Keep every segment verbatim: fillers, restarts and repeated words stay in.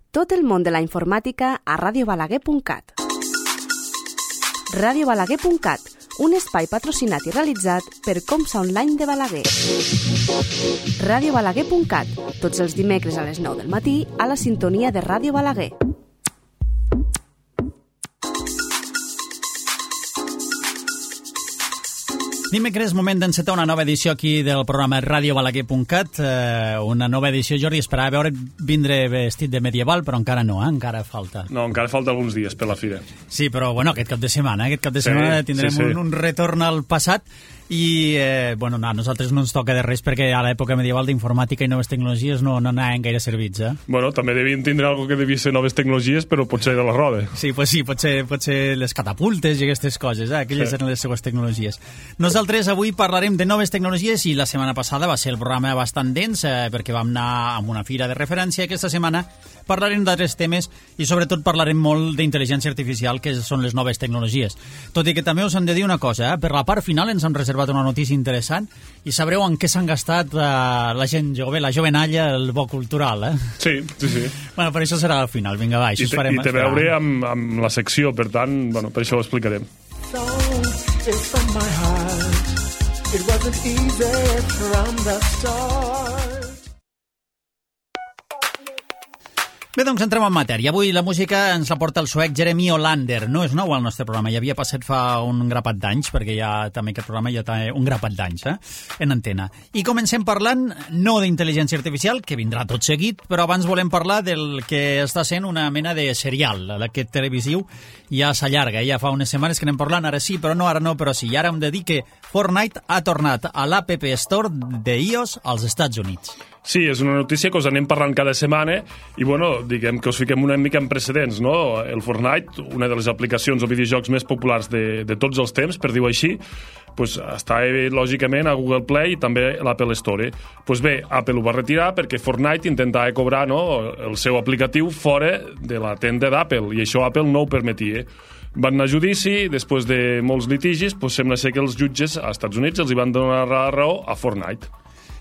Tot el món de la informàtica a radio balaguer punt cat. radio balaguer punt cat, un espai patrocinat i realitzat per Comsa Online de Balaguer. radio balaguer punt cat, tots els dimecres a les nou del matí a la sintonia de Ràdio Balaguer. Dimecres, moment d'encetar una nova edició aquí del programa radio balaguer punt cat. Eh, una nova edició, Jordi, esperava veure vindre vestit de medieval, però encara no, eh? Encara falta. No, encara falta alguns dies per la fira. Sí, però bueno, aquest cap de setmana, aquest cap de Sí, setmana tindrem sí, sí. Un, un retorn al passat i, eh, bueno, no, a nosaltres no ens toca de res perquè a l'època medieval d'informàtica i noves tecnologies no, no anaven gaire servits, eh? Bueno, també devien tindre algo que devia ser noves tecnologies, però potser de la roda. Sí, pues sí, pot ser, pot ser les catapultes i aquestes coses, eh? Aquelles Sí. eren les seues tecnologies. Nosaltres avui parlarem de noves tecnologies i la setmana passada va ser el programa bastant dens eh, perquè vam anar a una fira de referència. Aquesta setmana parlarem d'altres temes i sobretot parlarem molt d'intel·ligència artificial, que són les noves tecnologies. Tot i que també us hem de dir una cosa, eh? Per la part final ens hem reservat una notícia interessant i sabreu en què s'han gastat eh, la gent jove, la jovenalla, el bo cultural, eh? Sí, sí, sí. Bueno, per això serà al final, vinga, va, això I us té, farem i té a esperar. veure amb, amb la secció, per tant, bueno, per això ho explicarem. So it's from my heart. It wasn't easy from the start. Bé, doncs entrem en matèria. Avui la música ens la porta el suec Jeremy Olander. No és nou al nostre programa, ja havia passat fa un grapat d'anys, perquè ja també aquest programa ja té un grapat d'anys, eh? En antena. I comencem parlant no d'intel·ligència artificial, que vindrà tot seguit, però abans volem parlar del que està sent una mena de serial. Aquest televisiu ja s'allarga, ja fa unes setmanes que anem parlant, ara sí, però no, ara no, però sí. I ara hem de dir que Fortnite ha tornat a l'App Store d'iOS als Estats Units. Sí, és una notícia que us anem parlant cada setmana i, bueno, diguem que us fiquem una mica en precedents, no? El Fortnite, una de les aplicacions o videojocs més populars de, de tots els temps, per dir-ho així, pues, està, lògicament, a Google Play i també a l'Apple Store. Pues bé, Apple ho va retirar perquè Fortnite intentava cobrar, no, el seu aplicatiu fora de la tenda d'Apple i això Apple no ho permetia. Van anar a judici, després de molts litigis, pues, sembla ser que els jutges als Estats Units els hi van donar la raó a Fortnite.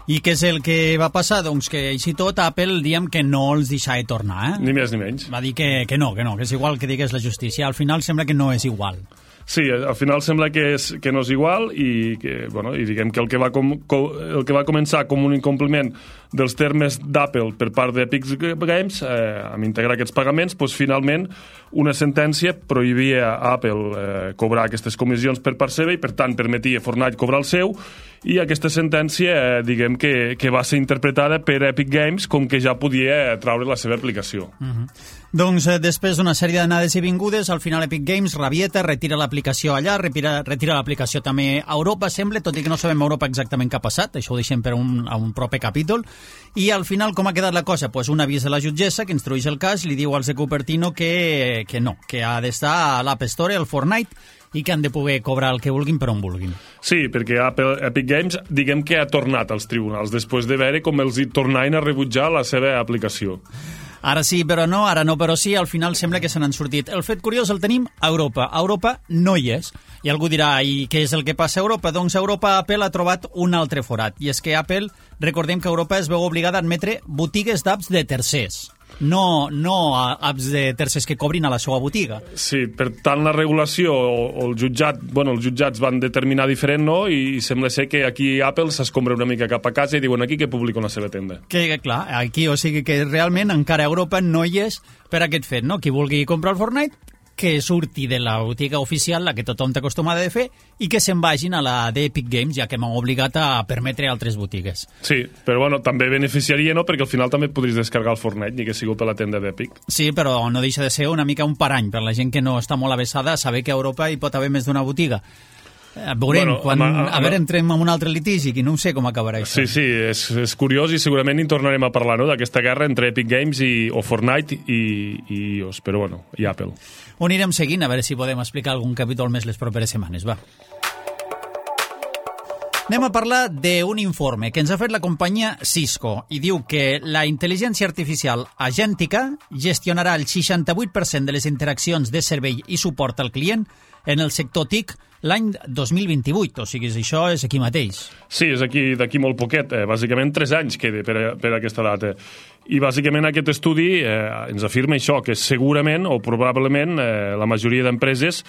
I què és el que va passar? Doncs que així tot Apple diem que no els deixava tornar, eh? Ni més ni menys. Va dir que, que no, que no, que és igual que digués la justícia. Al final sembla que no és igual. Sí, al final sembla que, és, que no és igual i que, bueno, i diguem que el que, va com, com, el que va començar com un incompliment dels termes d'Apple per part d'Epic Games, eh, amb integrar aquests pagaments, doncs finalment una sentència prohibia a Apple eh, cobrar aquestes comissions per part seva i per tant permetia a Fortnite cobrar el seu i aquesta sentència, eh, diguem que, que va ser interpretada per Epic Games com que ja podia traure la seva aplicació. Uh-huh. Doncs eh, després d'una sèrie d'anades i vingudes, al final Epic Games rabieta, retira l'aplicació allà, retira, retira l'aplicació també a Europa, sembla, tot i que no sabem a Europa exactament què ha passat, això ho deixem per un, a un proper capítol, i al final com ha quedat la cosa? Pues un avís de la jutgessa que instrueix el cas, li diu als de Cupertino que, que no, que ha d'estar a l'App Store, al Fortnite, i que han de poder cobrar el que vulguin per on vulguin. Sí, perquè Apple, Epic Games diguem que ha tornat als tribunals després de veure com els hi tornaven a rebutjar la seva aplicació. Ara sí, però no, ara no, però sí, al final sembla que se n'han sortit. El fet curiós el tenim a Europa. A Europa no hi és. I algú dirà, i què és el que passa a Europa? Doncs a Europa Apple ha trobat un altre forat. I és que Apple, recordem que Europa es veu obligada a admetre botigues d'apps de tercers. No, no apps de tercers que cobrin a la seva botiga. Sí, per tant la regulació o, o el jutjat, bueno, els jutjats van determinar diferent, no? I sembla ser que aquí Apple s'escombra una mica cap a casa i diuen aquí que publico la seva tenda. Que, clar, aquí, o sigui que realment encara a Europa no hi és per aquest fet, no? Qui vulgui comprar el Fortnite, que surti de la botiga oficial, la que tothom té acostumada de fer, i que se'n vagin a la d'Epic Games, ja que m'han obligat a permetre altres botigues. Sí, però bueno, també beneficiaria, no?, perquè al final també podries descarregar el Fortnite, ni que sigui per la tenda d'Epic. Sí, però no deixa de ser una mica un parany per la gent que no està molt avesada a saber que a Europa hi pot haver més d'una botiga. Veurem, Bueno, quan, a, a, a veure, entrem en un altre litigi, que no sé com acabarà això. Sí, sí, és, és curiós i segurament hi tornarem a parlar, no?, d'aquesta guerra entre Epic Games i, o Fortnite i, i iOS, però bueno, i Apple. Ho anirem seguint, a veure si podem explicar algun capítol més les properes setmanes, va. Anem a parlar d'un informe que ens ha fet la companyia Cisco i diu que la intel·ligència artificial agèntica gestionarà el seixanta-vuit per cent de les interaccions de servei i suport al client en el sector T I C l'any dos mil vint-i-vuit, o sigui, això és aquí mateix. Sí, és aquí d'aquí molt poquet, eh? Bàsicament tres anys queda per, a, per a aquesta data. I bàsicament aquest estudi eh, ens afirma això, que segurament o probablement eh, la majoria d'empreses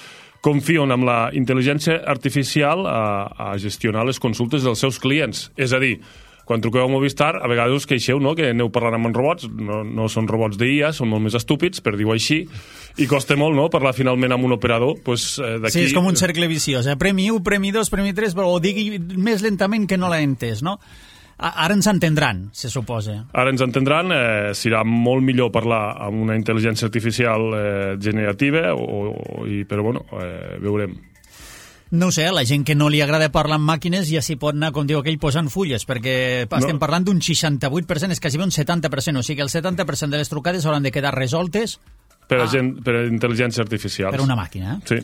confien en la intel·ligència artificial a, a gestionar les consultes dels seus clients. És a dir, quan truqueu a Movistar, a vegades us queixeu, no?, que aneu parlant amb robots, no, no són robots d'I A, són molt més estúpids, per dir-ho així, i costa molt, no?, parlar finalment amb un operador. Pues, eh, sí, és com un cercle viciós, eh? Premi u, premi dos, premi tres, però ho digui més lentament que no l'ha entès, no? Ara ens entendran, se suposa. Ara ens entendran, eh, serà molt millor parlar amb una intel·ligència artificial eh, generativa, o, o, i, però bueno, eh, veurem. No ho sé, la gent que no li agrada parlar amb màquines ja s'hi pot anar, com diu aquell, posant fulles, perquè estem no. parlant d'un seixanta-vuit per cent, és quasi un setanta per cent, o sigui que el setanta per cent de les trucades hauran de quedar resoltes per a, a... gent, per a intel·ligència artificial. Per una màquina, eh? Sí.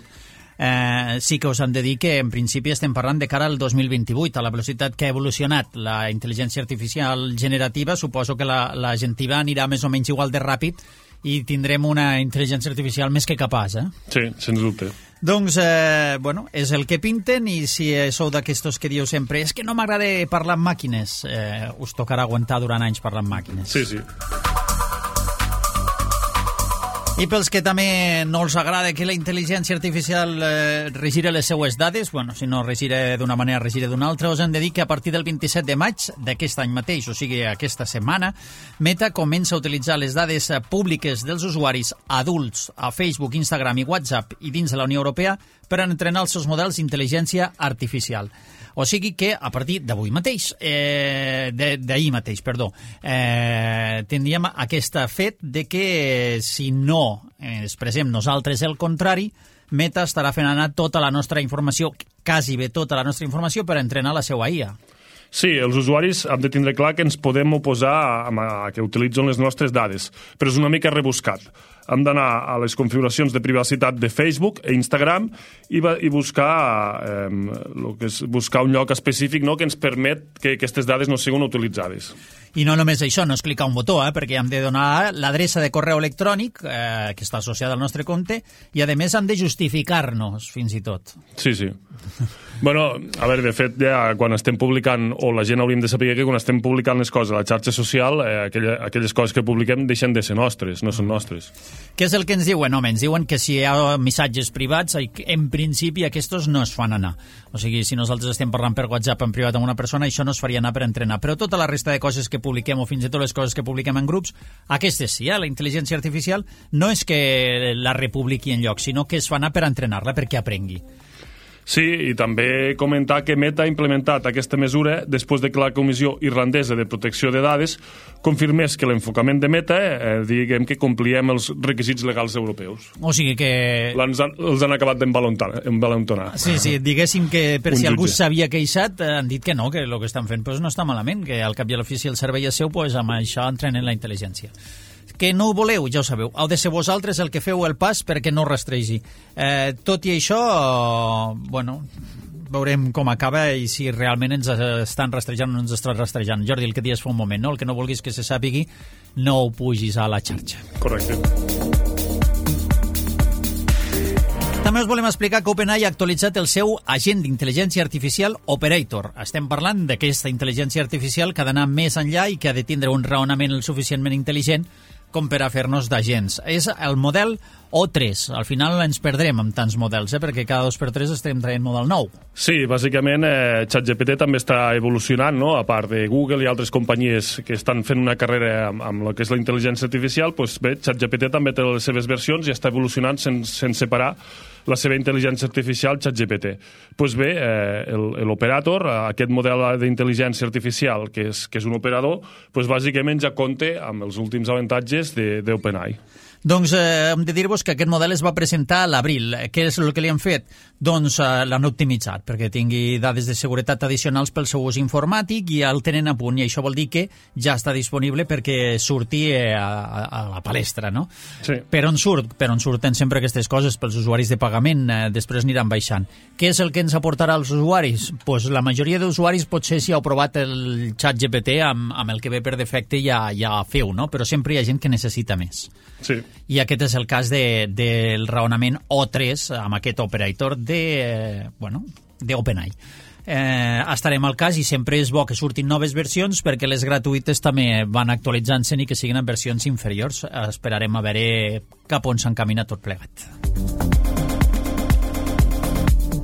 Eh, sí que us han de dir que en principi estem parlant de cara al dos mil vint-i-vuit, a la velocitat que ha evolucionat la intel·ligència artificial generativa, suposo que la, la gentiva anirà més o menys igual de ràpid i tindrem una intel·ligència artificial més que capaç, eh? Sí, sens dubte. Doncs, eh, bueno, és el que pinten, i si sou d'aquestos que dieu sempre és que no m'agrada parlar amb màquines, eh, us tocarà aguantar durant anys parlar amb màquines. Sí, sí. I pels que també no els agrada que la intel·ligència artificial eh, regire les seues dades, bueno, si no regire d'una manera, regire d'una altra, us hem de dir que a partir del vint-i-set de maig d'aquest any mateix, o sigui, aquesta setmana, Meta comença a utilitzar les dades públiques dels usuaris adults a Facebook, Instagram i WhatsApp i dins de la Unió Europea per entrenar els seus models d'intel·ligència artificial. O sigui que a partir d'avui mateix, eh, d'ahir mateix, perdó, eh, tindríem aquest fet de que si no eh, expressem nosaltres el contrari, Meta estarà fent anar tota la nostra informació, quasi bé tota la nostra informació, per entrenar la seva I A. Sí, els usuaris hem de tindre clar que ens podem oposar a, a que utilitzen les nostres dades, però és una mica rebuscat. Hem d'anar a les configuracions de privacitat de Facebook e Instagram i, va, i buscar, eh, lo que és buscar un lloc específic, no?, que ens permet que aquestes dades no siguin utilitzades. I no només això, no és clicar un botó, eh, perquè hem de donar l'adreça de correu electrònic, eh, que està associada al nostre compte, i a més hem de justificar-nos, fins i tot. Sí, sí. Bueno, a veure, de fet, ja quan estem publicant, o la gent hauríem de saber que quan estem publicant les coses a la xarxa social, eh, aquella, aquelles coses que publiquem deixen de ser nostres, no són nostres. Què és el que ens diuen? Home, ens diuen que si hi ha missatges privats, en principi aquests no es fan anar. O sigui, si nosaltres estem parlant per WhatsApp en privat amb una persona, això no es faria anar per entrenar. Però tota la resta de coses que publiquem, o fins i tot les coses que publiquem en grups, aquestes sí, eh? La intel·ligència artificial no és que la republiqui en lloc, sinó que es fa anar per entrenar-la, perquè aprengui. Sí, i també comentar que Meta ha implementat aquesta mesura després de que la Comissió Irlandesa de Protecció de Dades confirmés que l'enfocament de Meta, eh, diguem que compliem els requisits legals europeus. O sigui que... Els han, els han acabat d'envalentonar. Sí, sí, diguéssim que per si algú s'havia queixat, han dit que no, que el que estan fent pues, no està malament, que al cap i a l'ofici el servei és seu, pues, amb això entrenen la intel·ligència. Que no ho voleu, ja ho sabeu. Heu de ser vosaltres el que feu el pas perquè no rastregi. Eh, tot i això, bueno, veurem com acaba i si realment ens estan rastrejant o no ens estan rastrejant. Jordi, el que dius fa un moment, no? El que no vulguis que se sàpigui, no ho pugis a la xarxa. Correcte. També us volem explicar que OpenAI ha actualitzat el seu agent d'intel·ligència artificial Operator. Estem parlant d'aquesta intel·ligència artificial que ha d'anar més enllà i que ha de tindre un raonament el suficientment intel·ligent com per a fer-nos d'agents. És el model O tres. Al final ens perdrem amb tants models, eh? Perquè cada dos per tres estem traient model nou. Sí, bàsicament eh, ChatGPT també està evolucionant, no? A part de Google i altres companyies que estan fent una carrera amb, amb el que és la intel·ligència artificial, doncs bé, ChatGPT també té les seves versions i està evolucionant sense, sense separar la seva intel·ligència artificial ChatGPT. Doncs bé, eh, l'operator, aquest model d'intel·ligència artificial que és, que és un operador, doncs bàsicament ja compta amb els últims avantatges d'OpenAI. Doncs eh, hem de dir-vos que aquest model es va presentar a l'abril. Què és el que li han fet? Doncs eh, l'han optimitzat perquè tingui dades de seguretat addicionals pel seu ús informàtic i el tenen a punt, i això vol dir que ja està disponible perquè surti a, a, a la palestra, no? Sí. Per on surt? Per on surten sempre aquestes coses? Pels usuaris de pagament, eh, després aniran baixant. Què és el que ens aportarà als usuaris? Pues la majoria d'usuaris potser si heu provat el ChatGPT amb, amb el que ve per defecte ja, ja feu, no? Però sempre hi ha gent que necessita més. Sí. I aquest és el cas de, del raonament O tres amb aquest operator de, eh, bueno, d'OpenAI. eh, estarem al cas i sempre és bo que surtin noves versions perquè les gratuïtes també van actualitzant-se i que siguin en versions inferiors. Esperarem a veure cap on s'encamina tot plegat.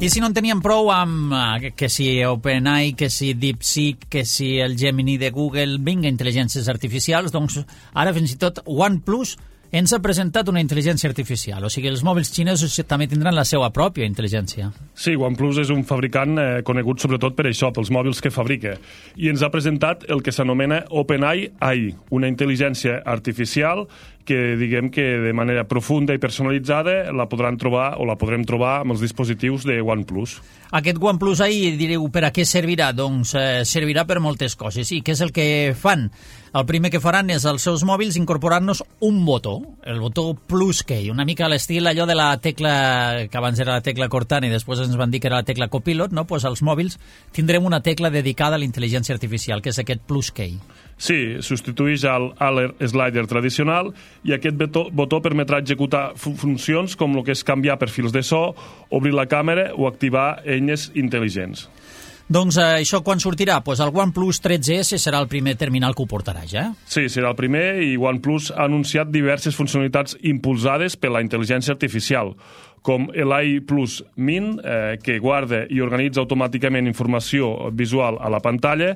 I si no en teníem prou amb eh, que si OpenAI, que si DeepSeek, que si el Gemini de Google, vinga, intel·ligències artificials, doncs ara fins i tot OnePlus ens ha presentat una intel·ligència artificial. O sigui, els mòbils xinesos també tindran la seva pròpia intel·ligència. Sí, OnePlus és un fabricant eh, conegut sobretot per això, pels mòbils que fabrica. I ens ha presentat el que s'anomena OpenAI A I, una intel·ligència artificial que diguem que de manera profunda i personalitzada la podran trobar o la podrem trobar amb els dispositius de OnePlus. Aquest OnePlus A I, direu, per a què servirà? Doncs eh, servirà per moltes coses. I què és el que fan? El primer que faran és als seus mòbils incorporar-nos un botó, el botó Plus Key, una mica a l'estil allò de la tecla, que abans era la tecla Cortana i després ens van dir que era la tecla Copilot, no? Pues als mòbils tindrem una tecla dedicada a la intel·ligència artificial, que és aquest Plus Key. Sí, substitueix el Alert Slider tradicional i aquest botó, botó permetrà executar fu funcions com el que és canviar perfils de so, obrir la càmera o activar eines intel·ligents. Doncs eh, això quan sortirà? Pues el OnePlus tretze esse serà el primer terminal que ho portarà ja. Sí, serà el primer i OnePlus ha anunciat diverses funcionalitats impulsades per la intel·ligència artificial, com l'A I Plus Min, eh, que guarda i organitza automàticament informació visual a la pantalla,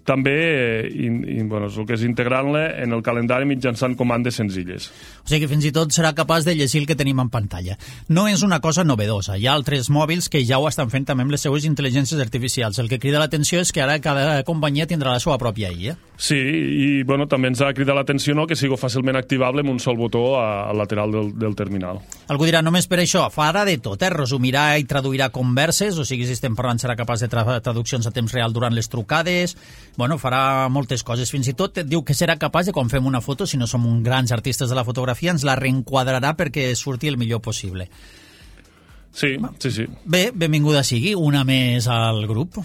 també eh, in, in, bueno, el que és integrant-la en el calendari mitjançant comandes senzilles. O sigui que fins i tot serà capaç de llegir el que tenim en pantalla. No és una cosa novedosa. Hi ha altres mòbils que ja ho estan fent també amb les seues intel·ligències artificials. El que crida l'atenció és que ara cada companyia tindrà la seva pròpia I A. Sí, i bueno, també ens ha cridat l'atenció, no?, que sigui fàcilment activable amb un sol botó al lateral del, del terminal. Algú dirà, només per això, farà de tot, eh? Resumirà i traduirà converses, o sigui, si estem parlant serà capaç de tra traduccions a temps real durant les trucades, bueno, farà moltes coses. Fins i tot diu que serà capaç de, quan fem una foto, si no som uns grans artistes de la fotografia, ens la reenquadrarà perquè surti el millor possible. Sí, sí, sí. Bé, benvinguda sigui, una més al grup.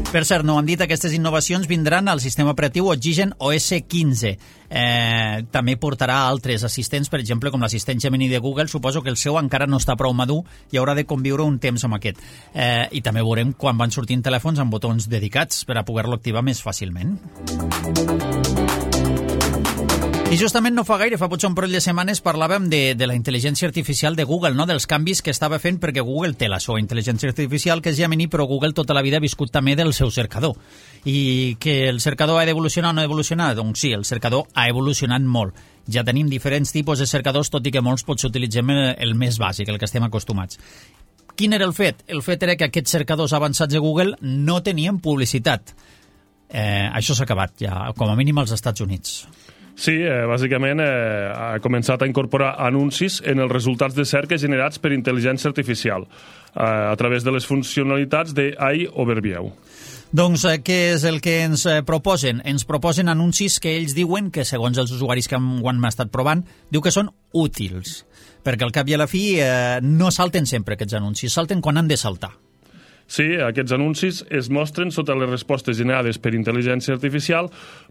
Per cert, no han dit, aquestes innovacions vindran al sistema operatiu Oxygen O S quinze. Eh, també portarà altres assistents, per exemple, com l'assistent Gemini de Google. Suposo que el seu encara no està prou madur i haurà de conviure un temps amb aquest. Eh, I també veurem quan van sortint telèfons amb botons dedicats per a poder-lo activar més fàcilment. I justament no fa gaire, fa potser un parell de setmanes, parlàvem de, de la intel·ligència artificial de Google, no? Dels canvis que estava fent, perquè Google té la seva intel·ligència artificial, que és Gemini, però Google tota la vida ha viscut també del seu cercador. I que el cercador ha d'evolucionar o no evolucionar? Doncs sí, el cercador ha evolucionat molt. Ja tenim diferents tipus de cercadors, tot i que molts potser utilitzem el més bàsic, el que estem acostumats. Quin era el fet? El fet era que aquests cercadors avançats de Google no tenien publicitat. Eh, això s'ha acabat ja, com a mínim als Estats Units. Sí, eh, bàsicament eh, ha començat a incorporar anuncis en els resultats de cerca generats per intel·ligència artificial eh, a través de les funcionalitats de A I Overview. Doncs eh, què és el que ens eh, proposen? Ens proposen anuncis que ells diuen que, segons els usuaris que ho han estat provant, diu que són útils, perquè al cap i a la fi eh, no salten sempre aquests anuncis, salten quan han de saltar. Sí, aquests anuncis es mostren sota les respostes generades per intel·ligència artificial,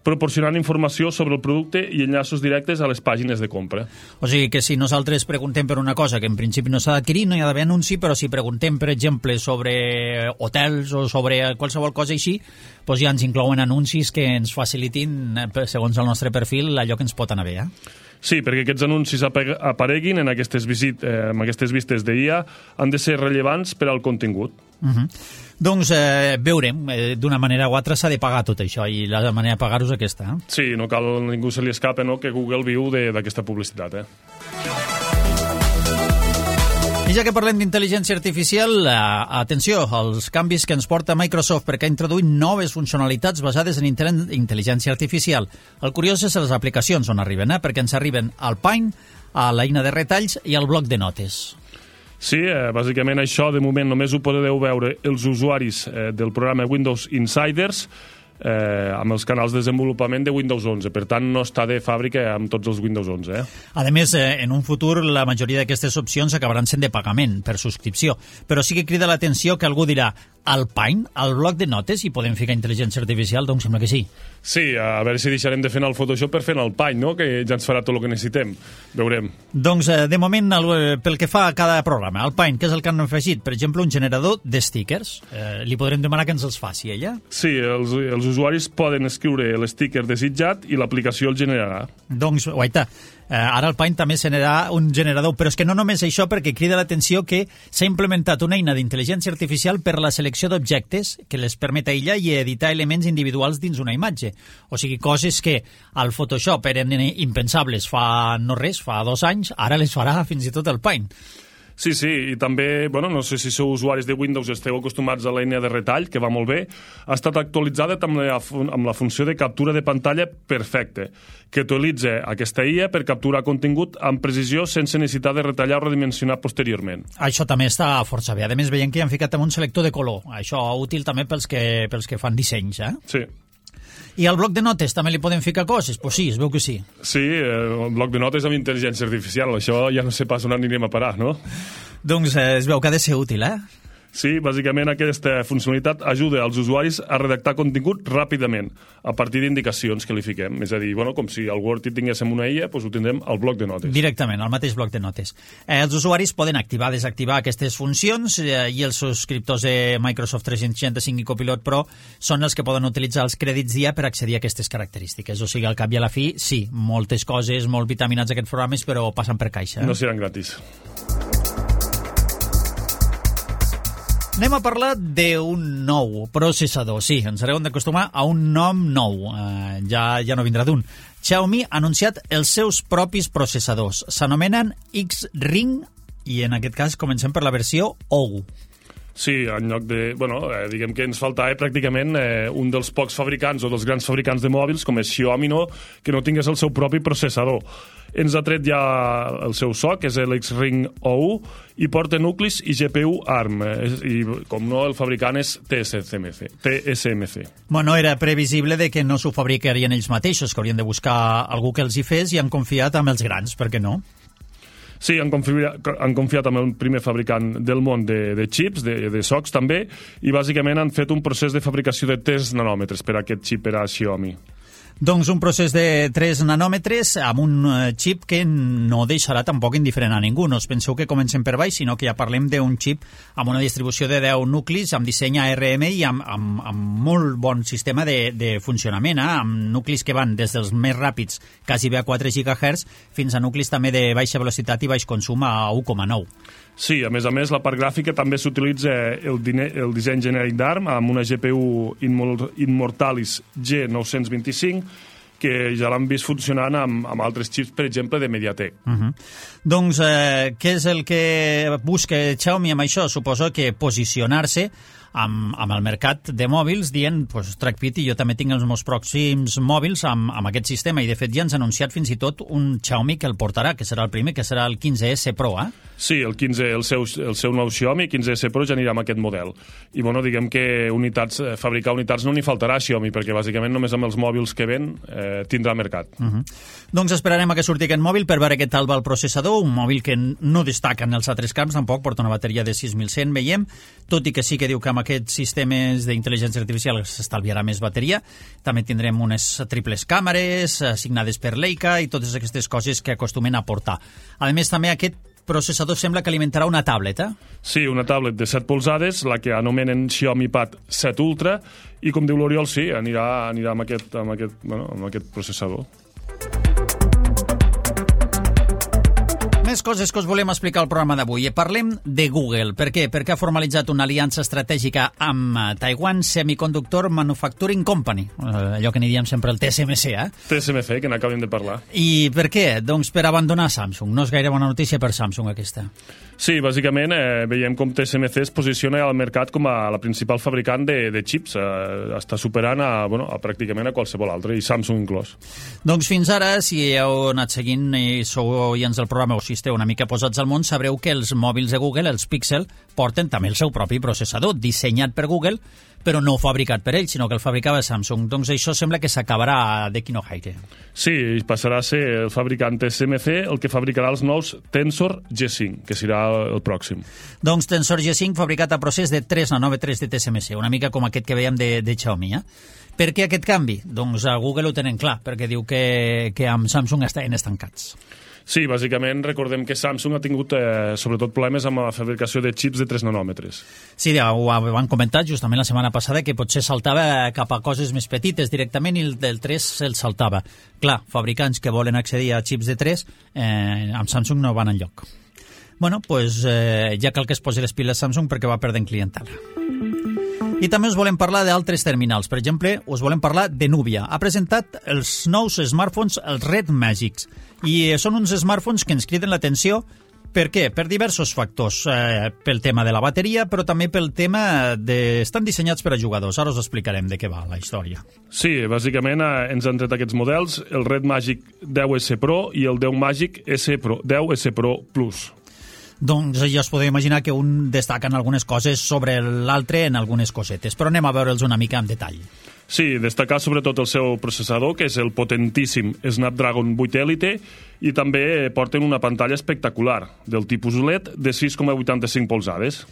proporcionant informació sobre el producte i enllaços directes a les pàgines de compra. O sigui que si nosaltres preguntem per una cosa que en principi no s'ha d'adquirir, no hi ha d'haver anunci, però si preguntem, per exemple, sobre hotels o sobre qualsevol cosa així, doncs ja ens inclouen anuncis que ens facilitin, segons el nostre perfil, allò que ens pot anar bé, eh? Sí, perquè aquests anuncis apareguin en aquestes, visit, eh, en aquestes vistes d'I A han de ser rellevants per al contingut. Uh -huh. Doncs eh, veurem, eh, d'una manera o altra s'ha de pagar tot això i la manera de pagar-ho és aquesta. Eh? Sí, no cal, ningú se li escapa, no?, que Google viu d'aquesta publicitat, eh? I ja que parlem d'intel·ligència artificial, eh, atenció, als canvis que ens porta Microsoft, perquè ha introduït noves funcionalitats basades en intel·ligència artificial. El curiós és les aplicacions on arriben, eh? Perquè ens arriben al Paint, a l'eina de retalls i al bloc de notes. Sí, eh, bàsicament això de moment només ho podeu veure els usuaris eh, del programa Windows Insiders, eh, amb els canals de desenvolupament de Windows onze. Per tant, no està de fàbrica amb tots els Windows onze. Eh? A més, eh, en un futur, la majoria d'aquestes opcions acabaran sent de pagament, per subscripció. Però sí que crida l'atenció que algú dirà Alpine, al bloc de notes, i podem ficar intel·ligència artificial? Doncs sembla que sí. Sí, a veure si deixarem de fer el Photoshop per fer el Alpine, no? Que ja ens farà tot el que necessitem. Veurem. Doncs, eh, de moment, el, pel que fa a cada programa, Alpine, què és el que han afegit? Per exemple, un generador de stickers. Eh, li podrem demanar que ens els faci, ella? Sí, els, els usuaris poden escriure l'sticker desitjat i l'aplicació el generarà. Doncs, guaita, eh, ara Alpine també generarà un generador, però és que no només això, perquè crida l'atenció que s'ha implementat una eina d'intel·ligència artificial per la selecció d'objectes que les permet aïllar i editar elements individuals dins una imatge. O sigui, coses que al Photoshop eren impensables fa no res, fa dos anys, ara les farà fins i tot Alpine. Sí, sí, i també, bueno, no sé si sou usuaris de Windows, esteu acostumats a l'eina de retall, que va molt bé, ha estat actualitzada amb la, amb la funció de captura de pantalla perfecte, que utilitza aquesta I A per capturar contingut amb precisió sense necessitat de retallar o redimensionar posteriorment. Això també està força bé. A més, veiem que hi han ficat amb un selector de color. Això útil també pels que, pels que fan dissenys, eh? Sí. I al bloc de notes també li podem ficar coses? Pues sí, es veu que sí. Sí, el bloc de notes amb intel·ligència artificial. Això ja no sé pas on anirem a parar, no? Doncs eh, es veu que ha de ser útil, eh? Sí, bàsicament aquesta funcionalitat ajuda als usuaris a redactar contingut ràpidament, a partir d'indicacions que li fiquem. És a dir, bueno, com si al Word hi tinguéssim una I A, doncs ho tindrem al bloc de notes. Directament, al mateix bloc de notes. Eh, els usuaris poden activar, desactivar aquestes funcions eh, i els subscriptors de Microsoft tres-cents seixanta-cinc i Copilot Pro són els que poden utilitzar els crèdits d'I A per accedir a aquestes característiques. O sigui, al cap i a la fi, sí, moltes coses, molt vitaminats aquests programes, però passen per caixa. Eh? No seran gratis. Anem a parlar d'un nou processador. Sí, ens haurem d'acostumar a un nom nou. Uh, ja, ja no vindrà d'un. Xiaomi ha anunciat els seus propis processadors. S'anomenen X-Ring i en aquest cas comencem per la versió O U. Sí, en lloc de... Bueno, eh, diguem que ens faltava eh, pràcticament eh, un dels pocs fabricants o dels grans fabricants de mòbils, com és Xiaomi, no, que no tingués el seu propi processador. Ens ha tret ja el seu so, que és l'X-Ring O U, i porta nuclis i G P U ARM. Eh, I, com no, el fabricant és T S M C. T S M C. Bueno, era previsible de que no s'ho fabricarien ells mateixos, que haurien de buscar algú que els hi fes i han confiat amb els grans, per què no? Sí, han confiat, han confiat amb el primer fabricant del món de, de xips, de, de socs també, i bàsicament han fet un procés de fabricació de tres nanòmetres per a aquest xip per a Xiaomi. Doncs un procés de tres nanòmetres amb un xip que no deixarà tampoc indiferent a ningú. No us penseu que comencem per baix, sinó que ja parlem d'un xip amb una distribució de deu nuclis, amb disseny A R M i amb, amb, amb molt bon sistema de, de funcionament, eh? Amb nuclis que van des dels més ràpids, quasi bé a quatre gigahertz, fins a nuclis també de baixa velocitat i baix consum a u coma nou. Sí, a més a més, la part gràfica també s'utilitza el, el disseny genèric d'ARM amb una G P U Immortalis G nou cents vint-i-cinc, que ja l'han vist funcionant amb, amb altres xips, per exemple, de Mediatek. Uh-huh. Doncs eh, què és el que busca Xiaomi amb això? Suposo que posicionar-se amb, amb el mercat de mòbils dient, pues, tracpit, i jo també tinc els meus pròxims mòbils amb, amb aquest sistema, i de fet ja ens ha anunciat fins i tot un Xiaomi que el portarà, que serà el primer, que serà el quinze S Pro, eh? Sí, el, quinze, el, seu, el seu nou Xiaomi quinze S Pro ja anirà amb aquest model. I bueno, diguem que unitats, fabricar unitats no n'hi faltarà a Xiaomi, perquè bàsicament només amb els mòbils que ven eh, tindrà mercat. Uh-huh. Doncs esperarem a que surti aquest mòbil per veure què tal va el processador, un mòbil que no destaca en els altres camps, tampoc porta una bateria de sis mil cent, veiem, tot i que sí que diu que amb aquests sistemes d'intel·ligència artificial s'estalviarà més bateria. També tindrem unes triples càmeres assignades per Leica i totes aquestes coses que acostumen a portar. A més, també aquest processador sembla que alimentarà una tablet, eh? Sí, una tablet de set polzades, la que anomenen Xiaomi Pad set Ultra, i com diu l'Oriol, sí, anirà, anirà amb, aquest, amb, aquest, bueno, amb aquest processador. Més coses que us volem explicar al programa d'avui. Parlem de Google. Per què? Perquè ha formalitzat una aliança estratègica amb Taiwan Semiconductor Manufacturing Company, allò que n'hi diem sempre el T S M C, eh? T S M C, que n'acabem de parlar. I per què? Doncs per abandonar Samsung. No és gaire bona notícia per Samsung, aquesta. Sí, bàsicament eh, veiem com T S M C es posiciona al mercat com a la principal fabricant de, de xips. Eh, està superant a, bueno, a pràcticament a qualsevol altre, i Samsung inclòs. Doncs fins ara, si heu anat seguint i sou oients del programa o si esteu esteu una mica posats al món, sabreu que els mòbils de Google, els Pixel, porten també el seu propi processador, dissenyat per Google, però no fabricat per ell, sinó que el fabricava Samsung. Doncs això sembla que s'acabarà d'aquí no gaire. Sí, passarà a ser el fabricant T S M C el que fabricarà els nous Tensor G cinc, que serà el pròxim. Doncs Tensor G cinc fabricat a procés de tres nanòmetres de T S M C, una mica com aquest que veiem de, de Xiaomi. Eh? Per què aquest canvi? Doncs a Google ho tenen clar, perquè diu que, que amb Samsung estaven estancats. Sí, bàsicament recordem que Samsung ha tingut eh, sobretot problemes amb la fabricació de xips de tres nanòmetres. Sí, ja ho van comentar justament la setmana passada, que potser saltava cap a coses més petites directament i el del tres se'l saltava. Clar, fabricants que volen accedir a xips de tres eh, amb Samsung no van enlloc. Bueno, doncs eh, ja cal que es posi les piles Samsung perquè va perdent clientela. I també us volem parlar d'altres terminals. Per exemple, us volem parlar de Nubia. Ha presentat els nous smartphones, els Red Magics. I són uns smartphones que ens criden l'atenció. Per què? Per diversos factors. Eh, pel tema de la bateria, però també pel tema de... Estan dissenyats per a jugadors. Ara us explicarem de què va la història. Sí, bàsicament eh, ens han tret aquests models, el Red Magic deu S Pro i el deu Magic S Pro, deu S Pro Plus. Doncs ja us podeu imaginar que un destaca en algunes coses sobre l'altre en algunes cosetes, però anem a veure'ls una mica en detall. Sí, destacar sobretot el seu processador, que és el potentíssim Snapdragon vuit Elite, i també porten una pantalla espectacular, del tipus O L E D, de sis coma vuitanta-cinc polzades.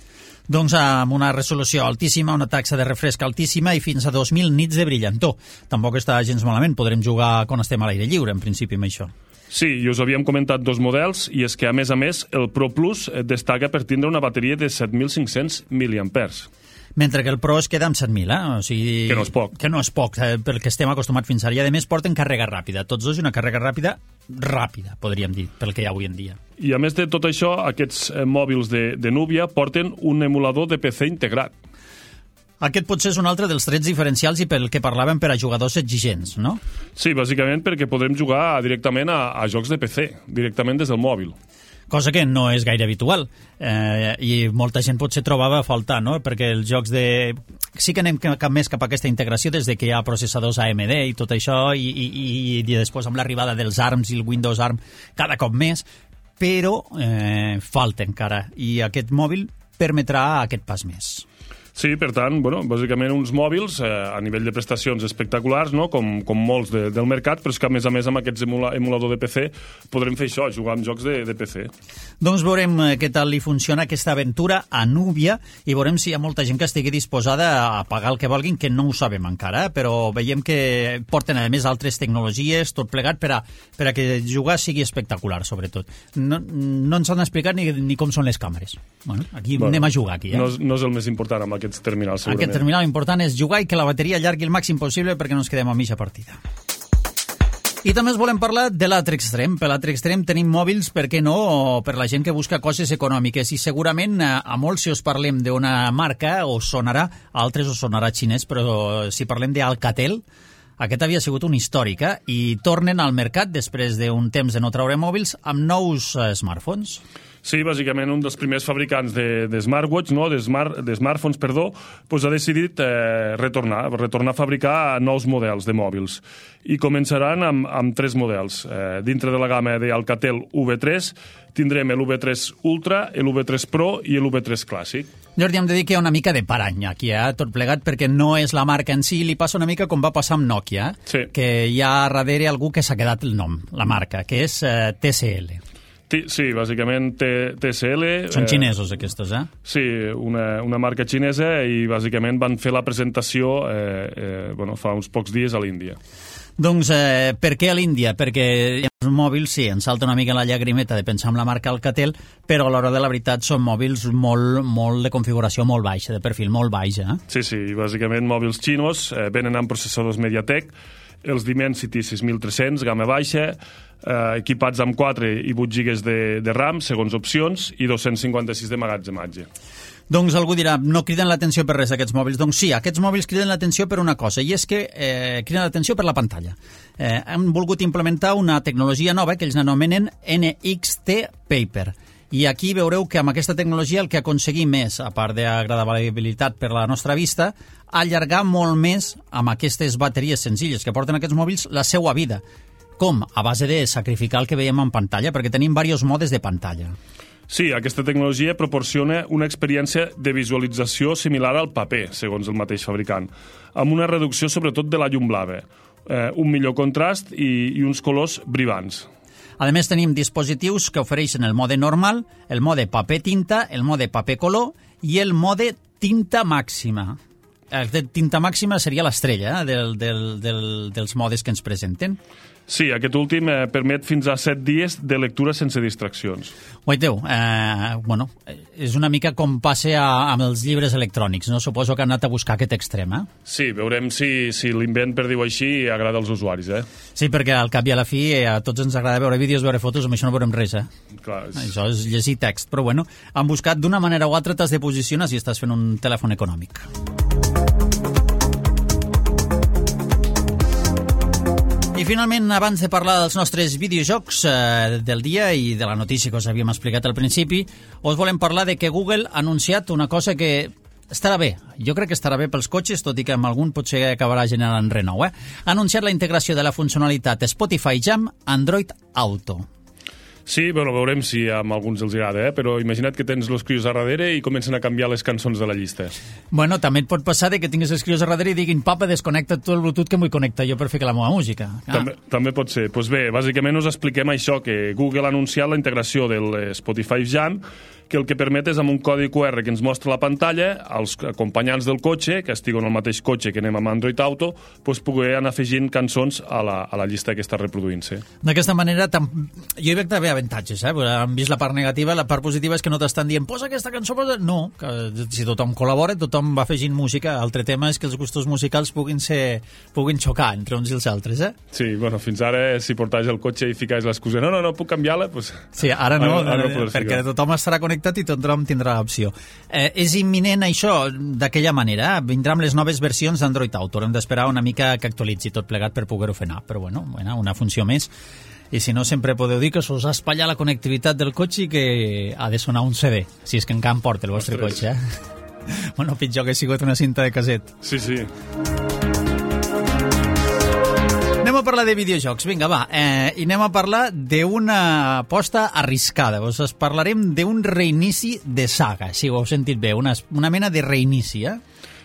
Doncs amb una resolució altíssima, una taxa de refresc altíssima i fins a dos mil nits de brillantor. Tampoc està gens malament, podrem jugar quan estem a l'aire lliure, en principi, amb això. Sí, i us havíem comentat dos models, i és que, a més a més, el Pro Plus destaca per tindre una bateria de set mil cinc-cents miliampers. Mentre que el Pro es queda amb set mil, eh? O sigui, que no és poc. Que no és poc, eh? Pel que estem acostumats fins ara. I, a més, porten càrrega ràpida. Tots dos, i una càrrega ràpida, ràpida, podríem dir, pel que hi ha avui en dia. I, a més de tot això, aquests eh, mòbils de, de Nubia porten un emulador de P C integrat. Aquest potser és un altre dels trets diferencials i pel que parlàvem per a jugadors exigents, no? Sí, bàsicament perquè podrem jugar directament a, a jocs de P C, directament des del mòbil. Cosa que no és gaire habitual, eh, i molta gent potser trobava a faltar, no? Perquè els jocs de... Sí que anem cap més cap a aquesta integració des de que hi ha processadors A M D i tot això, i, i, i, i després amb l'arribada dels ARMS i el Windows ARM cada cop més, però eh, falta encara, i aquest mòbil permetrà aquest pas més. Sí, per tant, bueno, bàsicament uns mòbils eh, a nivell de prestacions espectaculars, no? com, com molts de, del mercat, però és que a més a més amb aquests emula, emulador de P C podrem fer això, jugar amb jocs de, de P C. Doncs veurem què tal li funciona aquesta aventura a Nubia i veurem si hi ha molta gent que estigui disposada a pagar el que vulguin, que no ho sabem encara, però veiem que porten a més altres tecnologies, tot plegat per a, per a que jugar sigui espectacular, sobretot. No, no ens han explicat ni, ni com són les càmeres. Bueno, aquí bueno, anem a jugar, aquí. Eh? No, no és el més important amb aquest terminal, segurament. Aquest terminal important és jugar i que la bateria allargui el màxim possible perquè no ens quedem a mitja partida. I també us volem parlar de l'altre extrem. Per l'altre extrem tenim mòbils, per què no, per la gent que busca coses econòmiques. I segurament a molts, si us parlem d'una marca, us sonarà, a altres us sonarà xinès, però si parlem d'Alcatel, aquest havia sigut un històric, eh? I tornen al mercat després d'un temps de no treure mòbils amb nous uh, smartphones. Sí, bàsicament un dels primers fabricants de, de smartwatch, no? de, smart, de smartphones, perdó, pues ha decidit eh, retornar, retornar a fabricar nous models de mòbils. I començaran amb, amb tres models. Eh, dintre de la gamma d'Alcatel U V tres tindrem l'U V tres Ultra, l'U V tres Pro i l'U V tres Clàssic. Jo hauríem de dir que hi ha una mica de parany aquí, eh? Tot plegat, perquè no és la marca en si, li passa una mica com va passar amb Nokia, eh? Sí. Que hi ha darrere algú que s'ha quedat el nom, la marca, que és eh, T C L. Sí, bàsicament T C L... Són xinesos, aquests, eh? Sí, una, una marca xinesa, i bàsicament van fer la presentació eh, eh, bueno, fa uns pocs dies a l'Índia. Doncs eh, per què a l'Índia? Perquè els mòbils, sí, ens salta una mica la llagrimeta de pensar en la marca Alcatel, però a l'hora de la veritat són mòbils molt, molt de configuració molt baixa, de perfil molt baix, eh? Sí, sí, bàsicament mòbils xinos, eh, venen amb processadors MediaTek, els Dimensity sis mil tres-cents, gamma baixa, eh, equipats amb quatre i vuit gigas de, de RAM, segons opcions, i dos-cents cinquanta-sis de magatzematge. Doncs algú dirà, no criden l'atenció per res aquests mòbils. Doncs sí, aquests mòbils criden l'atenció per una cosa, i és que eh, criden l'atenció per la pantalla. Eh, han volgut implementar una tecnologia nova que ells anomenen N X T Paper. I aquí veureu que amb aquesta tecnologia el que aconseguim és, a part d'agradabilitat per la nostra vista, allargar molt més amb aquestes bateries senzilles que porten aquests mòbils la seva vida. Com? A base de sacrificar el que veiem en pantalla, perquè tenim diversos modes de pantalla. Sí, aquesta tecnologia proporciona una experiència de visualització similar al paper, segons el mateix fabricant, amb una reducció sobretot de la llum blava, eh, un millor contrast i, i uns colors brillants. A més, tenim dispositius que ofereixen el mode normal, el mode paper-tinta, el mode paper-color i el mode tinta màxima. El de tinta màxima seria l'estrella eh, del, del, del, dels modes que ens presenten. Sí, aquest últim eh, permet fins a set dies de lectura sense distraccions. Guaiteu, eh, bueno, és una mica com passa a, amb els llibres electrònics, no? Suposo que han anat a buscar aquest extrem, eh? Sí, veurem si, si l'invent, per dir-ho així, agrada als usuaris, eh? Sí, perquè al cap i a la fi eh, a tots ens agrada veure vídeos, veure fotos, amb això no veurem res, eh? Clar, és... Això és llegir text, però bueno, han buscat d'una manera o altra, t'has de posicionar si estàs fent un telèfon econòmic. I finalment, abans de parlar dels nostres videojocs eh, del dia i de la notícia que us havíem explicat al principi, us volem parlar de que Google ha anunciat una cosa que estarà bé. Jo crec que estarà bé pels cotxes, tot i que amb algun potser acabarà generant renou. Eh? Ha anunciat la integració de la funcionalitat Spotify Jam Android Auto. Sí, bueno, veurem si amb alguns els agrada, eh? Però imagina't que tens els crios a darrere i comencen a canviar les cançons de la llista. Bueno, també et pot passar de que tinguis els crios a darrere i diguin papa, desconnecta tot el Bluetooth que em vull connectar jo per fer que la meva música. Ah. També, també pot ser. Doncs bé, bàsicament us expliquem això, que Google ha anunciat la integració del Spotify Jam, que el que permet és amb un codi Q R que ens mostra la pantalla, als acompanyants del cotxe, que estiguen al mateix cotxe que anem amb Android Auto, doncs poder anar afegint cançons a la, a la llista que està reproduint-se. D'aquesta manera, tam... jo hi veig també avantatges, eh? Han vist la part negativa, la part positiva és que no t'estan dient posa aquesta cançó, posa... No, que si tothom col·labora, tothom va afegint música. L'altre tema és que els gustos musicals puguin ser puguin xocar entre uns i els altres, eh? Sí, bueno, fins ara, si portaves el cotxe i ficaves l'excusa no, no, no, puc canviar-la, doncs... Sí, ara no, ara, ara no perquè tothom estarà connectat i tothom tindrà l'opció. Eh, és imminent això d'aquella manera. Vindrà amb les noves versions d'Android Auto. Hem d'esperar una mica que actualitzi tot plegat per poder-ho fer anar. Però bueno, bueno, una funció més. I si no, sempre podeu dir que us ha espatllat la connectivitat del cotxe i que ha de sonar un C D, si és que encara em porta el vostre Ostres. Cotxe. Eh? Bueno, pitjor que ha sigut una cinta de caset. Sí, sí. Anem a parlar de videojocs, vinga, va, eh, i anem a parlar d'una aposta arriscada. Us parlarem d'un reinici de saga, si ho heu sentit bé, una, una mena de reinici, eh?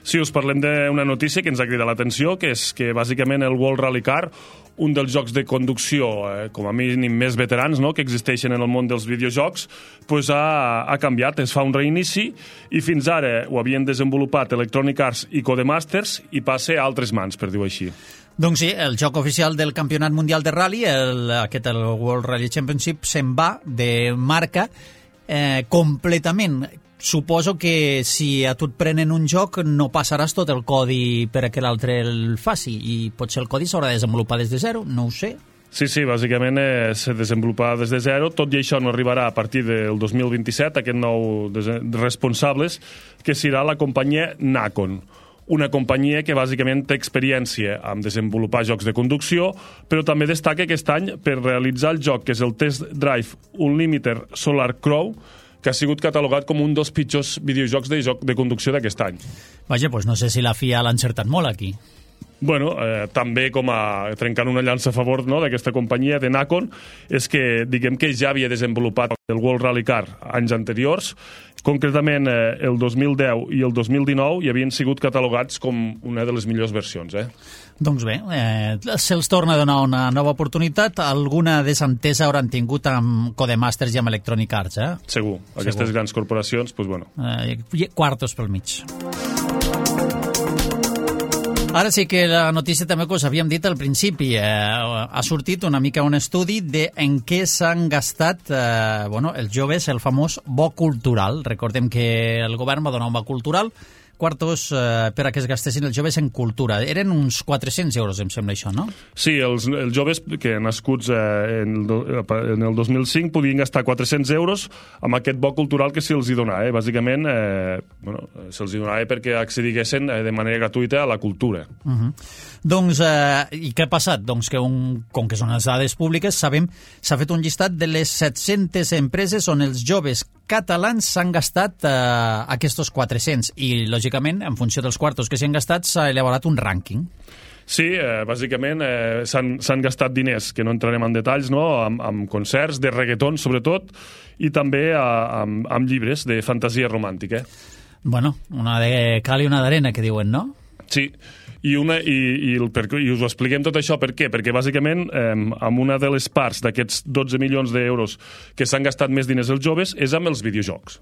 Sí, us parlem d'una notícia que ens ha cridat l'atenció, que és que bàsicament el World Rally Car, un dels jocs de conducció, eh, com a mínim més veterans, no?, que existeixen en el món dels videojocs, pues ha, ha canviat, es fa un reinici, i fins ara ho havien desenvolupat Electronic Arts i Codemasters, i passa a altres mans, per dir-ho així. Doncs sí, el joc oficial del Campionat Mundial de Rally, el, aquest, el World Rally Championship, se'n va de marca eh, completament. Suposo que si a tu et prenen un joc no passaràs tot el codi perquè l'altre el faci i potser el codi s'haurà de desenvolupar des de zero, no ho sé. Sí, sí, bàsicament eh, se desenvoluparà des de zero, tot i això no arribarà a partir del dos mil vint-i-set, aquest nou responsables, que serà la companyia Nacon, una companyia que bàsicament té experiència en desenvolupar jocs de conducció, però també destaca aquest any per realitzar el joc que és el Test Drive Unlimited Solar Crow, que ha sigut catalogat com un dels pitjors videojocs de joc de conducció d'aquest any. Vaja, doncs no sé si la F I A l'ha encertat molt aquí. Bueno, eh, també com a trencant una llança a favor, no?, d'aquesta companyia de Nacon, és que diguem que ja havia desenvolupat el World Rally Car anys anteriors, concretament eh, el dos mil deu i el dos mil dinou, i havien sigut catalogats com una de les millors versions, eh? Doncs bé, eh, se'ls torna a donar una nova oportunitat. Alguna desentesa hauran tingut amb Codemasters i amb Electronic Arts, eh? Segur. Aquestes Segur. grans corporacions, doncs bueno. Eh, quartos pel mig. Ara sí que la notícia també que us havíem dit al principi, eh, ha sortit una mica un estudi de en què s'han gastat eh, bueno, els joves el famós bo cultural. Recordem que el govern va donar un bo cultural, quartos eh, per a que es gastessin els joves en cultura. Eren uns quatre-cents euros, em sembla això, no? Sí, els, els joves que nascuts eh, en, el, en el dos mil cinc podien gastar quatre-cents euros amb aquest bo cultural que se'ls hi donava. Eh? Bàsicament, eh, bueno, se'ls hi donava perquè accediguessin eh, de manera gratuïta a la cultura. Uh -huh. Doncs, eh, i què ha passat? Doncs que, un, com que són les dades públiques, sabem, s'ha fet un llistat de les set-centes empreses on els joves catalans s'han gastat eh, aquests quatre-cents i, lògicament, en funció dels quartos que s'han gastat, s'ha elaborat un rànquing. Sí, eh, bàsicament eh, s'han gastat diners, que no entrarem en detalls, no? amb, amb concerts de reggaeton, sobretot, i també a, amb, amb llibres de fantasia romàntica. Bueno, una de cal i una d'arena, que diuen, no? Sí, i, una, i, i, el, per, i us ho expliquem tot això per què? Perquè bàsicament eh, amb una de les parts d'aquests dotze milions d'euros que s'han gastat més diners els joves és amb els videojocs.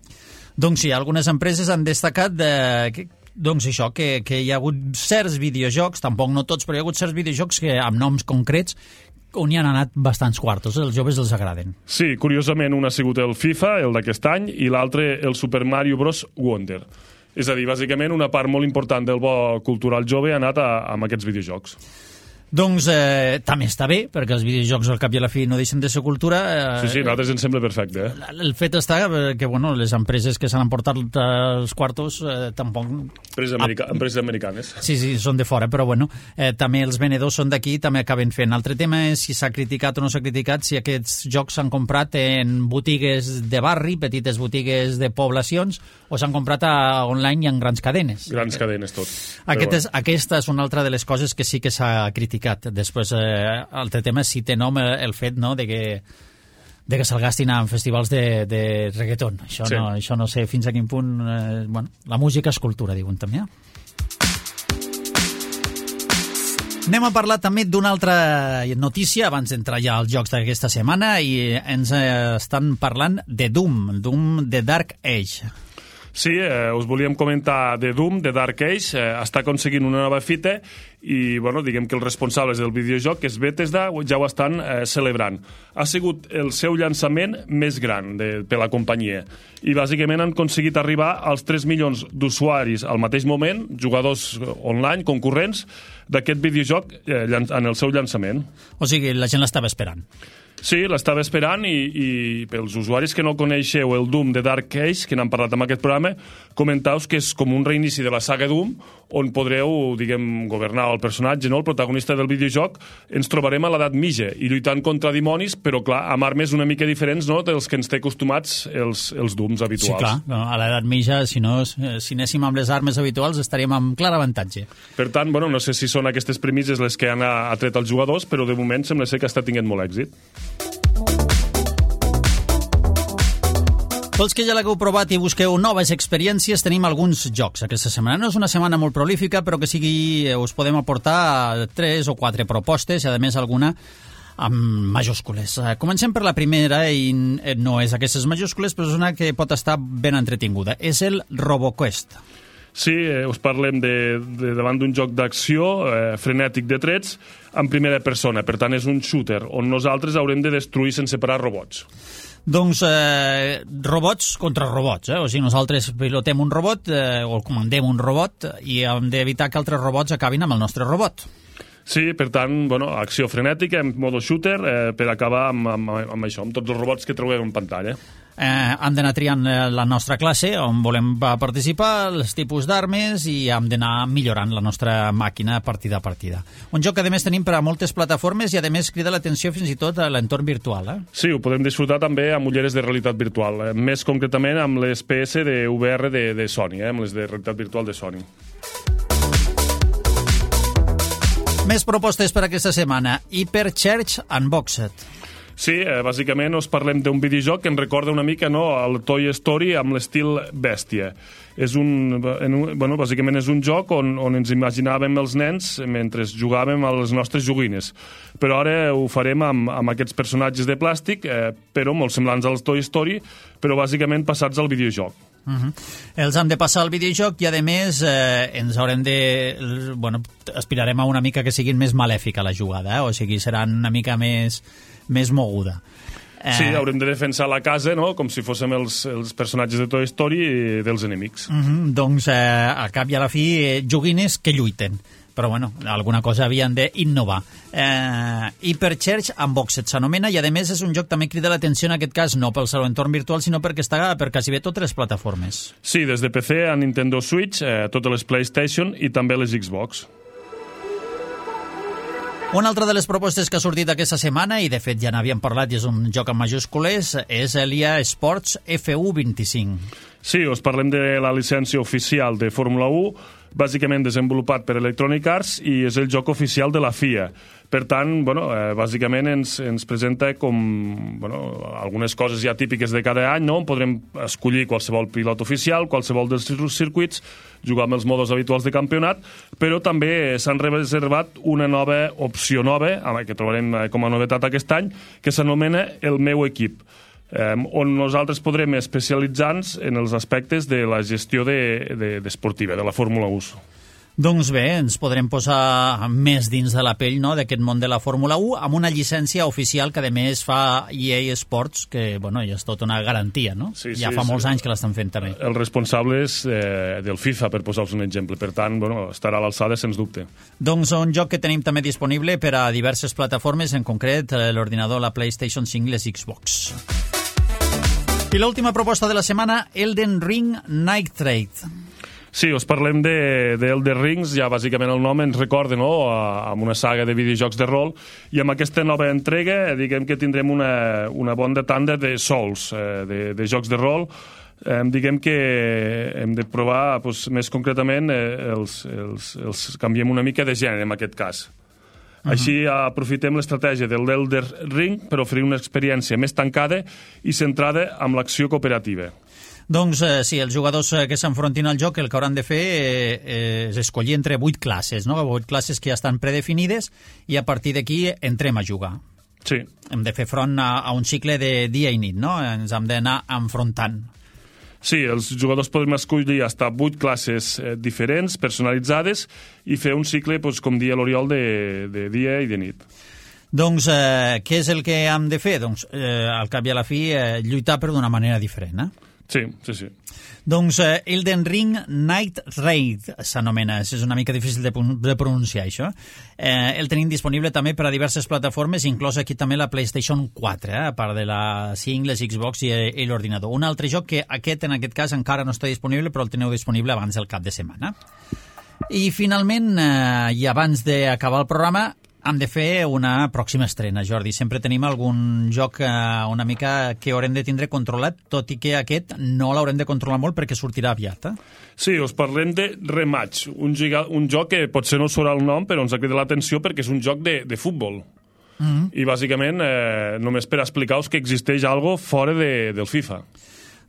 Doncs sí, algunes empreses han destacat de, que, doncs això, que, que hi ha hagut certs videojocs, tampoc no tots, però hi ha hagut certs videojocs que amb noms concrets on hi han anat bastants quartos, els joves els agraden. Sí, curiosament un ha sigut el FIFA, el d'aquest any, i l'altre el Super Mario Bros. Wonder. És a dir, bàsicament una part molt important del bo cultural jove ha anat a, a aquests videojocs. Doncs eh, també està bé, perquè els videojocs al cap i a la fi no deixen de ser cultura. Eh, sí, sí, a nosaltres ens sembla perfecte. Eh? El fet està que bueno, les empreses que s'han emportat els quartos eh, tampoc... Empreses, america... ah, empreses americanes. Sí, sí, són de fora, però bueno, eh, també els venedors són d'aquí i també acaben fent. L'altre tema és si s'ha criticat o no s'ha criticat, si aquests jocs s'han comprat en botigues de barri, petites botigues de poblacions, o s'han comprat a online i en grans cadenes. Grans cadenes, tot. Aquest és, aquesta és una altra de les coses que sí que s'ha criticat. Després, eh, altre tema, si té nom el, el fet no, de que, de que se'l gastin en festivals de, de reggaeton. Això, sí. no, això no sé fins a quin punt... Eh, bueno, la música és cultura, diuen també. Anem a parlar també d'una altra notícia abans d'entrar ja als jocs d'aquesta setmana i ens eh, estan parlant de Doom, Doom de Dark Age. Sí, eh, us volíem comentar de Doom, de Dark Age, eh, està aconseguint una nova fita i, bueno, diguem que els responsables del videojoc, que és Bethesda, ja ho estan eh, celebrant. Ha sigut el seu llançament més gran de, per la companyia i, bàsicament, han aconseguit arribar als tres milions d'usuaris al mateix moment, jugadors online, concurrents, d'aquest videojoc eh, en el seu llançament. O sigui, la gent l'estava esperant. Sí, l'estava esperant i, i pels usuaris que no coneixeu el Doom de Dark Age, que n'han parlat en aquest programa, comentaus que és com un reinici de la saga Doom, on podreu, diguem, governar el personatge, no? El protagonista del videojoc. Ens trobarem a l'edat mitja i lluitant contra dimonis, però, clar, amb armes una mica diferents, no?, dels que ens té acostumats els, els Dooms habituals. Sí, clar, a l'edat mitja, si, no, si anéssim amb les armes habituals, estaríem amb clar avantatge. Per tant, bueno, no sé si són aquestes premisses les que han atret els jugadors, però de moment sembla ser que està tinguent molt èxit. Pels que ja l'hagueu provat i busqueu noves experiències, tenim alguns jocs aquesta setmana. No és una setmana molt prolífica, però que sigui us podem aportar tres o quatre propostes, i a més alguna amb majúscules. Comencem per la primera, i no és aquestes majúscules, però és una que pot estar ben entretinguda. És el RoboQuest. Sí, eh, us parlem de, de davant d'un joc d'acció eh, frenètic de trets en primera persona. Per tant, és un shooter on nosaltres haurem de destruir sense parar robots. Doncs eh, robots contra robots, eh? O sigui, nosaltres pilotem un robot eh, o comandem un robot i hem d'evitar que altres robots acabin amb el nostre robot. Sí, per tant, bueno, acció frenètica en modo shooter eh, per acabar amb, amb, amb això, amb tots els robots que trobem en pantalla. Eh, hem d'anar triant la nostra classe on volem participar, els tipus d'armes, i hem d'anar millorant la nostra màquina partida a partida. Un joc que a més tenim per a moltes plataformes i a més crida l'atenció fins i tot a l'entorn virtual. Eh? Sí, ho podem disfrutar també amb ulleres de realitat virtual, eh? Més concretament amb les P S de V R de, de Sony, eh? Amb les de realitat virtual de Sony. Més propostes per aquesta setmana. Hyperchurch Unboxed. Sí, eh, bàsicament us parlem d'un videojoc que em recorda una mica, no, el Toy Story amb l'estil bèstia. És un, en un, bueno, bàsicament és un joc on, on ens imaginàvem els nens mentre jugàvem a les nostres joguines. Però ara ho farem amb, amb aquests personatges de plàstic, eh, però molt semblants als Toy Story, però bàsicament passats al videojoc. Uh-huh. Els hem de passar al videojoc i, a més, eh, ens haurem de... Bueno, aspirarem a una mica que siguin més malèfica la jugada, eh? O sigui, seran una mica més, més moguda. Eh... Sí, haurem de defensar la casa, no?, com si fóssim els, els personatges de Toy Story dels enemics. Uh-huh. Doncs, eh, al cap i a la fi, eh, joguines que lluiten. Però, bueno, alguna cosa havien d'innovar. Eh, Hyperchurch Unboxed s'anomena, i, a més, és un joc també crida l'atenció, en aquest cas, no pel seu entorn virtual, sinó perquè està per quasi bé totes les plataformes. Sí, des de P C a Nintendo Switch, eh, totes les PlayStation i també les Xbox. Una altra de les propostes que ha sortit aquesta setmana, i de fet ja n'havíem parlat i és un joc en majúscules, és l'E A Sports F U vint-i-cinc. Sí, us parlem de la llicència oficial de Fórmula u, bàsicament desenvolupat per Electronic Arts i és el joc oficial de la F I A. Per tant, bueno, eh, bàsicament ens, ens presenta com bueno, algunes coses ja típiques de cada any, no? On podrem escollir qualsevol pilot oficial, qualsevol dels circuits, jugar amb els modos habituals de campionat, però també s'han reservat una nova opció nova, que trobarem com a novetat aquest any, que s'anomena El meu equip, eh, on nosaltres podrem especialitzar-nos en els aspectes de la gestió de, de, d'esportiva, de la Fórmula u. Doncs bé, ens podrem posar més dins de la pell, no?, d'aquest món de la Fórmula u amb una llicència oficial que a més fa E A Sports, que bueno, ja és tota una garantia, no? Sí, ja sí, fa molts sí. anys que l'estan fent també. Els responsables eh, del FIFA, per posar-vos un exemple. Per tant, bueno, estarà a l'alçada, sens dubte. Doncs un joc que tenim també disponible per a diverses plataformes, en concret l'ordinador, la PlayStation cinc i les Xbox. I l'última proposta de la setmana, Elden Ring Night Trade. Sí, us parlem de, de Elden Rings, ja bàsicament el nom ens recorda, no?, a, amb una saga de videojocs de rol, i amb aquesta nova entrega diguem que tindrem una, una bona tanda de Souls, eh, de, de jocs de rol. Eh, diguem que hem de provar, doncs, més concretament, eh, els, els, els canviem una mica de gènere en aquest cas. Uh-huh. Així aprofitem l'estratègia del Elden Ring per oferir una experiència més tancada i centrada en l'acció cooperativa. Doncs eh, sí, els jugadors eh, que s'enfrontin al joc el que hauran de fer eh, eh, és escollir entre vuit classes, no? vuit classes que ja estan predefinides i a partir d'aquí entrem a jugar. Sí. Hem de fer front a, a un cicle de dia i nit, no? Ens hem d'anar enfrontant. Sí, els jugadors podem escollir fins a vuit classes eh, diferents, personalitzades, i fer un cicle, doncs, com dia l'Oriol, de, de dia i de nit. Doncs eh, què és el que hem de fer? Doncs, eh, al cap i a la fi, eh, lluitar però d'una manera diferent, eh? Sí, sí, sí. Doncs eh, Elden Ring Night Raid s'anomena, és una mica difícil de, de pronunciar això. Eh, el tenim disponible també per a diverses plataformes, inclòs aquí també la PlayStation quatre, eh, a part de la cinc, les Xbox i, i l'ordinador. Un altre joc que aquest, en aquest cas, encara no està disponible, però el teniu disponible abans del cap de setmana. I finalment, eh, i abans d'acabar el programa, hem de fer una pròxima estrena, Jordi. Sempre tenim algun joc eh, una mica que haurem de tindre controlat, tot i que aquest no l'haurem de controlar molt perquè sortirà aviat. Eh? Sí, us parlem de Rematch, un, giga, un joc que potser no us sona el nom, però ens ha cridat l'atenció perquè és un joc de, de futbol. Mm-hmm. I bàsicament, eh, només per explicar-vos que existeix algo fora de, del FIFA.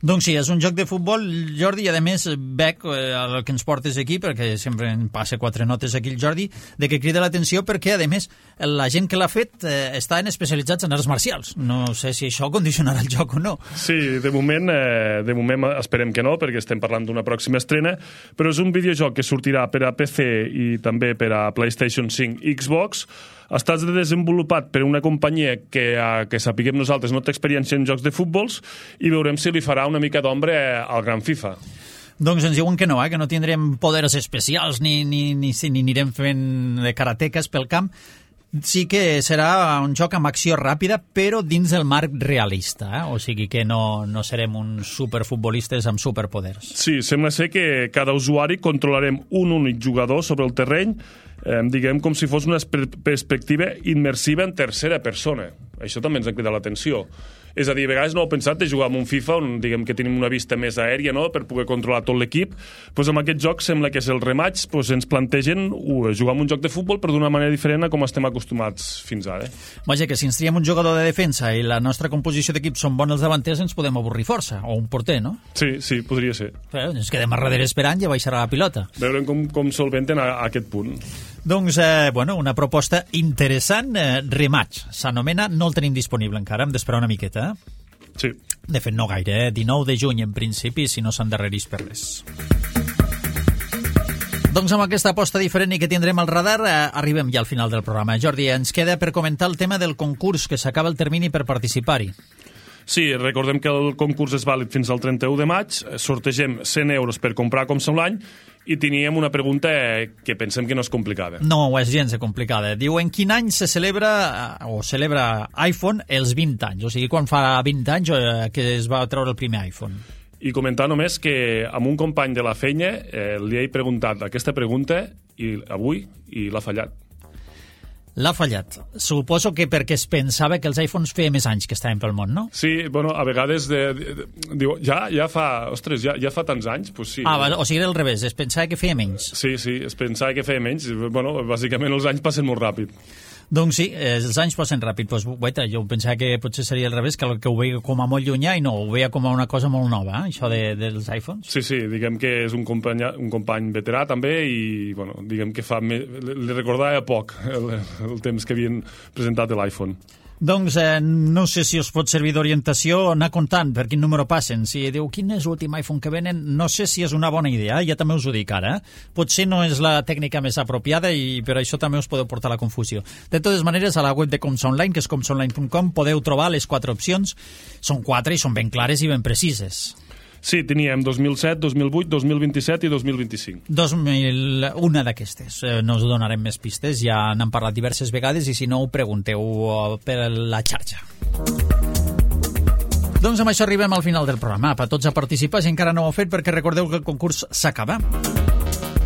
Doncs sí, és un joc de futbol, Jordi, i a més veig eh, el que ens portes aquí, perquè sempre em passa quatre notes aquí el Jordi, de que crida l'atenció perquè, a més, la gent que l'ha fet eh, estan especialitzats en arts marcials. No sé si això condicionarà el joc o no. Sí, de moment, eh, de moment esperem que no, perquè estem parlant d'una pròxima estrena, però és un videojoc que sortirà per a P C i també per a PlayStation cinc i Xbox. Està desenvolupat per una companyia que, que sapiguem nosaltres, no té experiència en jocs de futbols, i veurem si li farà una mica d'ombra al gran FIFA. Doncs ens diuen que no, eh? que no tindrem poders especials ni, ni, ni, ni anirem fent de karateques pel camp. Sí que serà un joc amb acció ràpida, però dins del marc realista, eh? O sigui que no, no serem uns superfutbolistes amb superpoders. Sí, sembla ser que cada usuari controlarem un únic jugador sobre el terreny, eh, diguem com si fos una perspectiva immersiva en tercera persona. Això també ens ha cridat l'atenció. És a dir, a vegades no heu pensat de jugar amb un FIFA on diguem que tenim una vista més aèria, no?, per poder controlar tot l'equip. Pues amb aquest joc sembla que és el Rematch, pues ens plantegen uh, jugar amb un joc de futbol però d'una manera diferent a com estem acostumats fins ara. Vaja, que si ens triem un jugador de defensa i la nostra composició d'equip són bons els davanters, ens podem avorrir força, o un porter, no? Sí, sí, podria ser. Però ens quedem a darrere esperant i baixarà la pilota. Veurem com, com solventen a, a aquest punt. Doncs, eh, bueno, una proposta interessant, eh, Rematch. S'anomena, no el tenim disponible encara, hem d'esperar una miqueta, eh? Sí. De fet, no gaire, eh? dinou de juny en principi, si no s'endarrerís per res. Doncs amb aquesta aposta diferent i que tindrem al radar, eh, arribem ja al final del programa. Jordi, ens queda per comentar el tema del concurs, que s'acaba el termini per participar-hi. Sí, recordem que el concurs és vàlid fins al trenta-u de maig, sortegem cent euros per comprar com som l'any, i teníem una pregunta que pensem que no és complicada. No, és gens complicada. Diu, en quin any se celebra, o celebra iPhone els vint anys? O sigui, quan fa vint anys que es va treure el primer iPhone? I comentar només que amb un company de la feina eh, li he preguntat aquesta pregunta i avui i l'ha fallat. L'ha fallat. Suposo que perquè es pensava que els iPhones feia més anys que estaven pel món, no? Sí, bueno, a vegades de, de, de, diu, ja, ja fa, ostres, ja, ja fa tants anys, pues sí. Ah, o sigui, era al revés, es pensava que feia menys. Sí, sí, es pensava que feia menys. Bueno, bàsicament els anys passen molt ràpid. Doncs sí, els anys passen ràpid. Pues, guaita, jo pensava que potser seria al revés, que, que ho veia com a molt llunyà i no, ho veia com a una cosa molt nova, eh, això de, dels iPhones. Sí, sí, diguem que és un company, un company veterà també i, bueno, diguem que fa, li recordava poc el, el temps que havien presentat l'iPhone. Doncs eh, no sé si us pot servir d'orientació anar comptant per quin número passen. Si diu quin és l'últim iPhone que venen, no sé si és una bona idea, ja també us ho dic ara. Potser no és la tècnica més apropiada i per això també us podeu portar la confusió. De totes maneres, a la web de Comsa Online, que és comsa online punt com, podeu trobar les quatre opcions. Són quatre i són ben clares i ben precises. Sí, teníem dos mil set, dos mil vuit, dos mil vint-i-set i dos mil vint-i-cinc. dos mil una d'aquestes. Eh, no us donarem més pistes, ja n'han parlat diverses vegades i si no ho pregunteu per la xarxa. Doncs amb això arribem al final del programa. Per tots a participar, si encara no ho heu fet, perquè recordeu que el concurs s'acaba.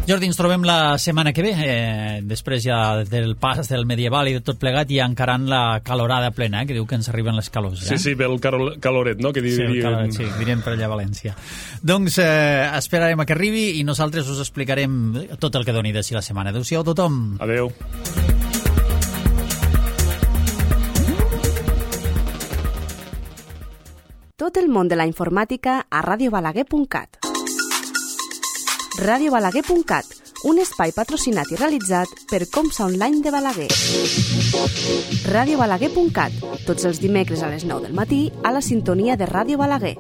Jordi, ens trobem la setmana que ve, eh, després ja del pas del medieval i de tot plegat, i encarant la calorada plena, eh, que diu que ens arriben les calors. Eh? Sí, sí, ve el caloret, no? Que sí, el caloret, sí, direm per allà a València. Doncs eh, esperarem a que arribi i nosaltres us explicarem tot el que doni de si la setmana. Adéu-siau a tothom. Adéu. Tot el món de la informàtica a ràdio balaguer punt cat. ràdio balaguer punt cat, un espai patrocinat i realitzat per Comsa Online de Balaguer. ràdio balaguer punt cat, tots els dimecres a les nou del matí a la sintonia de Ràdio Balaguer.